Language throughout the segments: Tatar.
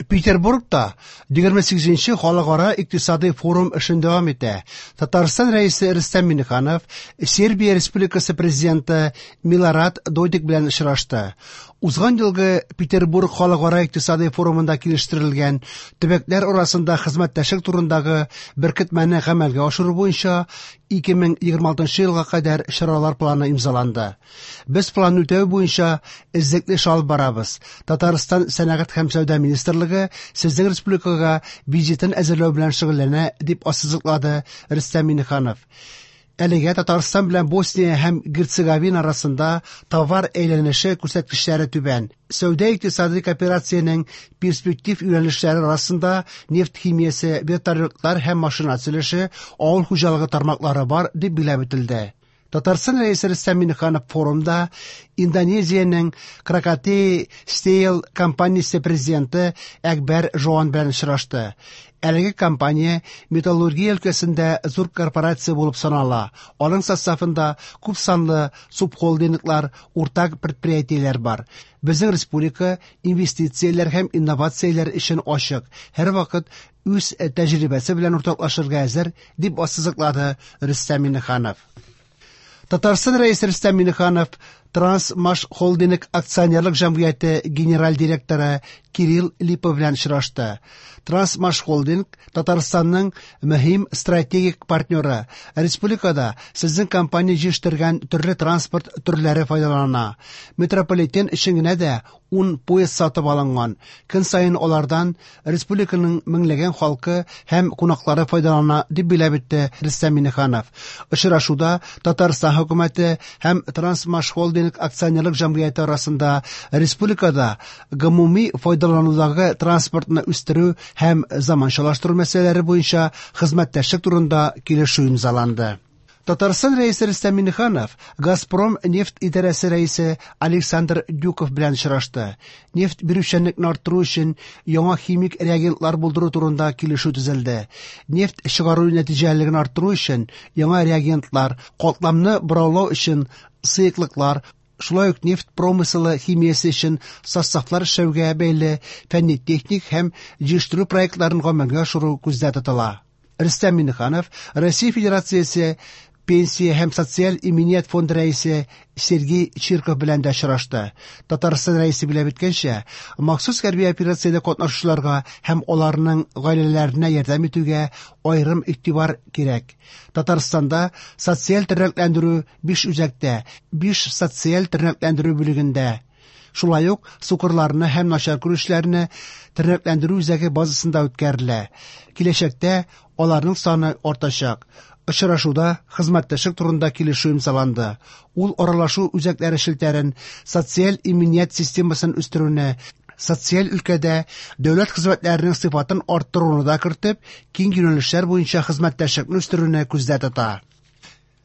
Петербургта 28нче халыкара икътисадый форум эшен дәвам итә. Татарстан Рәисе Рөстәм Миңнеханов Сербия Республикасы президенты Милорад Додик белән очрашты. Узган елгы Петербург халыкара икътисадый форумында килештерелгән төбәкләр арасында хезмәттәшлек турындагы беркетмәне гамәлгә ашыру буенча 2026 елга кадәр чаралар планы имзаланды. Без планны үтәү буенча эзлекле эш алып барабыз. Татарстан Сәнәгать һәм сәүдә министрлыгы сезнең республикага визитын әзерләү белән шөгыльләнә, дип ассызыклады Рөстәм Миңнеханов. Әлегә Татарстан белән Босния һәм Герцеговина арасында товар әйләнеше күрсәткечләре түбән. Сәүдә-икътисадый кооперациянең перспектив юнәлешләре арасында нефть химиясе, вертолетлар һәм машина төзелеше, авыл хуҗалыгы тармаклары бар, дип билгеләп үтелде. Татарстан Рәисе Рөстәм Миңнеханов форумда Индонезиянең Кракатей Стейл компаниясе президенты Әкбәр Жоан белән очрашты. Әлеге компания металлургия өлкәсендә зур корпорация булып санала. Аның составында күп санлы субхолдинглар, уртак предприятиеләр бар. Безнең республика инвестицияләр һәм инновацияләр өчен ачык, һәрвакыт үз тәҗрибәсе белән уртаклашырга әзер, дип ассызыклады Рөстәм Миңнеханов. Татарстан Рәисе Рөстәм Миңнеханов Трансмаш Холдинг акционерлык җәмгыяте генераль директоры Кирилл Липа белән очрашты. Трансмаш Холдинг Татарстанның мөһим стратегик партнеры. Республикада сезнең компания җитештергән төрле транспорт төрләре файдалана. Метрополитен өчен генә дә 10 поезд сатып алынган. Көн саен алардан республиканың меңләгән халкы һәм кунаклары файдалана, дип билгеләп үтте Рөстәм Миңнеханов. Очрашуда Татарстан хөкүмәте һәм Трансмаш Холдинг акционерлык җәмгыяте арасында республикада гомуми файдаланудагы транспортны үстерү һәм заманчалаштыру мәсьәләләре буенча хезмәттәшлек турында килешү имзаланды. Татарстан Рәисе Рөстәм Миңнеханов Газпром нефть идарәсе рәисе Александр Дюков белән очрашты. Нефть бирүчәнлекне арттыру өчен яңа химик реагентлар булдыру турында килешү төзелде. Нефть чыгару нәтиҗәлелеген арттыру өчен яңа реагентлар, катламны бораулау өчен сыеклыклар, шулай ук нефть промыселы химиясе өчен составлар эшләүгә бәйле фәнни-техник һәм җитештерү проектларын гамәлгә ашыру күздә тотыла. Рөстәм Миңнеханов Россия Федерациясе Пенсия һәм социаль иминият фонды рәисе Сергей Чирков белән дә очрашты. Татарстан рәисе билгеләп үткәнчә, махсус хәрби операциядә катнашучыларга һәм аларның гаиләләренә ярдәм итүгә аерым игътибар кирәк. Татарстанда социаль тернәкләндерү 5 үзәктә, 5 социаль тернәкләндерү бүлегендә, шулай ук сукырларны һәм начар күрүчеләрне тернәкләндерү үзәге базасында үткәрелә. Киләчәктә аларның саны артачак. Очрашуда хезмәттәшлек турында килешү имзаланды. Ул аралашу үзәкләре челтәрен, социаль иминият системасын үстерүне, социаль өлкәдә дәүләт хезмәтләренең сыйфатын арттыруны да кертеп, киң юнәлешләр буенча хезмәттәшлекне үстерүне күздә тота.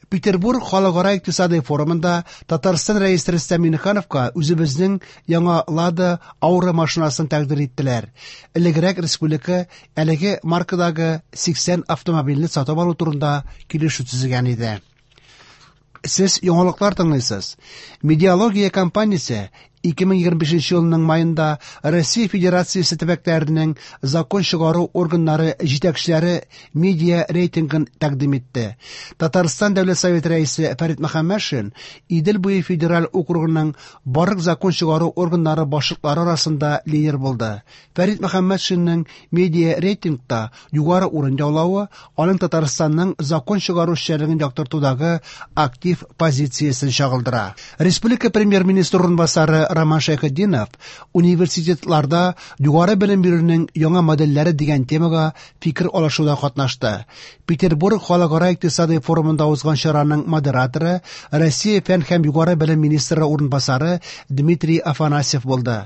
Петербург халыкара икътисадый форумында Татарстан Рәисе Рөстәм Миңнехановка үзебезнең яңа Лада Аура машинасын тәкъдир иттеләр. Элегрәк республика әлеге маркадагы 80 автомобильне сатып алу турында килешү төзегән иде. Сез яңалыклар тыңлыйсыз. Медиалогия компаниясе 2025 елның маенда Россия Федерациясе төбәкләренең закон чыгару органнары җитәкчеләре медиа рейтингын тәкъдим итте. Татарстан Дәүләт Советы рәисе Фәрит Мөхәммәтшин Идел буе федераль округының барлык закон чыгару органнары башлыклары арасында лидер булды. Фәрит Мөхәммәтшинның медиа рейтингта югары урын яулавы аның Татарстанның закон чыгару эшчәнлеген яктыртудагы актив позициясен чагылдыра. Республика премьер-министры урынбасары Роман Шәйхетдинов университетларда югары белем бирүнең яңа модельләре дигән темага фикер алышуда катнашты. Петербург халыкара икътисадый форумында узган чараның модераторы Россия фән һәм югары белем министры урынбасары Дмитрий Афанасьев булды.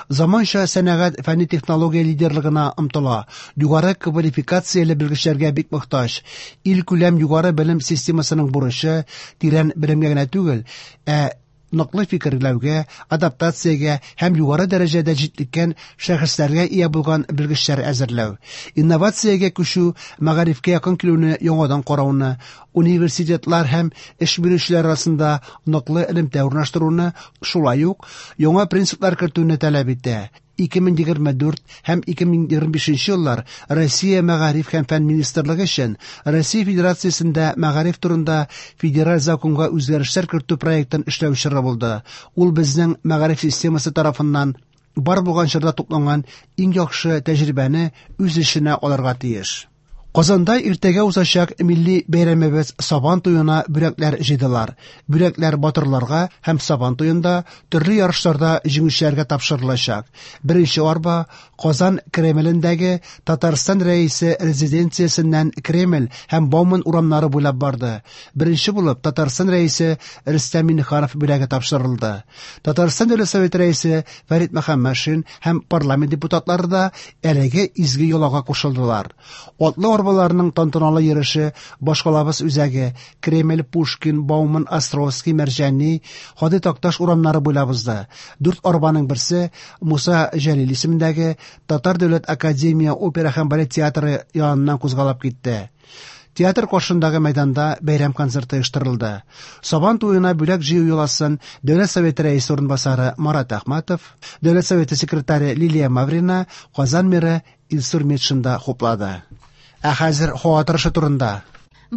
Заманча сәнәгать фәнни технология лидерлыгына омтыла, югары квалификацияле белгечләргә бик мохтаҗ. Илкүләм югары белем системасының бурычы тирән белемгә генә түгел, ә ныклы фикерләүгә, адаптациягә һәм югары дәрәҗәдә җитлеккән шәхесләргә ия булган белгечләр әзерләү. Инновациягә күчү, мәгарифкә якын килүне яңадан карауны, университетлар һәм эш бирүчеләр арасында ныклы элемтә урнаштыруны, шулай ук яңа принциплар кертүне таләп итә. 2024 һәм 2025 еллар Россия Мәгариф һәм фән министрлыгы өчен Россия Федерациясендә мәгариф турында федераль законга үзгәрешләр кертү проектын эшләү чоры булды. Ул безнең мәгариф системасы тарафыннан бар булган чорда тупланган иң яхшы тәҗрибәне үз эченә алырга тиеш. Казанда иртәгә узачак милли бәйрәмебез Сабан туена бүләкләр җыйдылар. Бүләкләр батырларга һәм Сабан туенда төрле ярышларда җиңүчеләргә тапшырылачак. Беренче арба Казан Кремлендәге Татарстан Рәисе резиденциясеннән Кремль һәм Бауман урамнары буйлап барды. Беренче булып Татарстан Рәисе Рөстәм Миңнеханов бүләге тапшырылды. Татарстан Дәүләт Советы Рәисе Фәрит Мөхәммәтшин һәм парламент депутатлары да әлеге изге йолага кушылдылар. Атлы арбаларның тантаналы йөреше башкалабыз үзәге Кремль, Пушкин, Бауман, Островский, Мәрҗани, Һади Такташ урамнары буйлап узды. Дүрт арбаның берсе Муса Җәлил исемендәге Татар дәүләт академия опера һәм балет театры яныннан кузгалып китте. Театр каршындагы мәйданда бәйрәм концерты оештырылды. Сабан туена бүләк җыю йоласын Дәүләт Советы рәисе урынбасары Марат Әхмәтов, Дәүләт Советы секретаре Лилия Маврина, Казан мэры Илсур Метшин да хуплады. Ә хәзер һава торышы турында.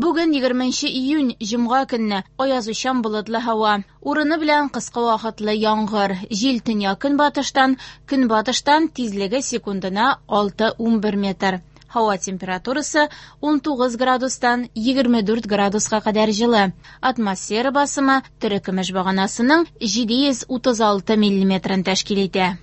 Бүген 20 июнь, җомга көнне, аязучан болытлы һава. Урыны белән кыска вакытлы яңгыр. Җил төньяк-көнбатыштан, көнбатыштан, тизлеге секундына 6-11 метр. Һава температурасы 19 градустан 24 градуска кадәр җылы. Атмосфера басымы терекөмеш баганасының 736 миллиметрын тәшкил итә.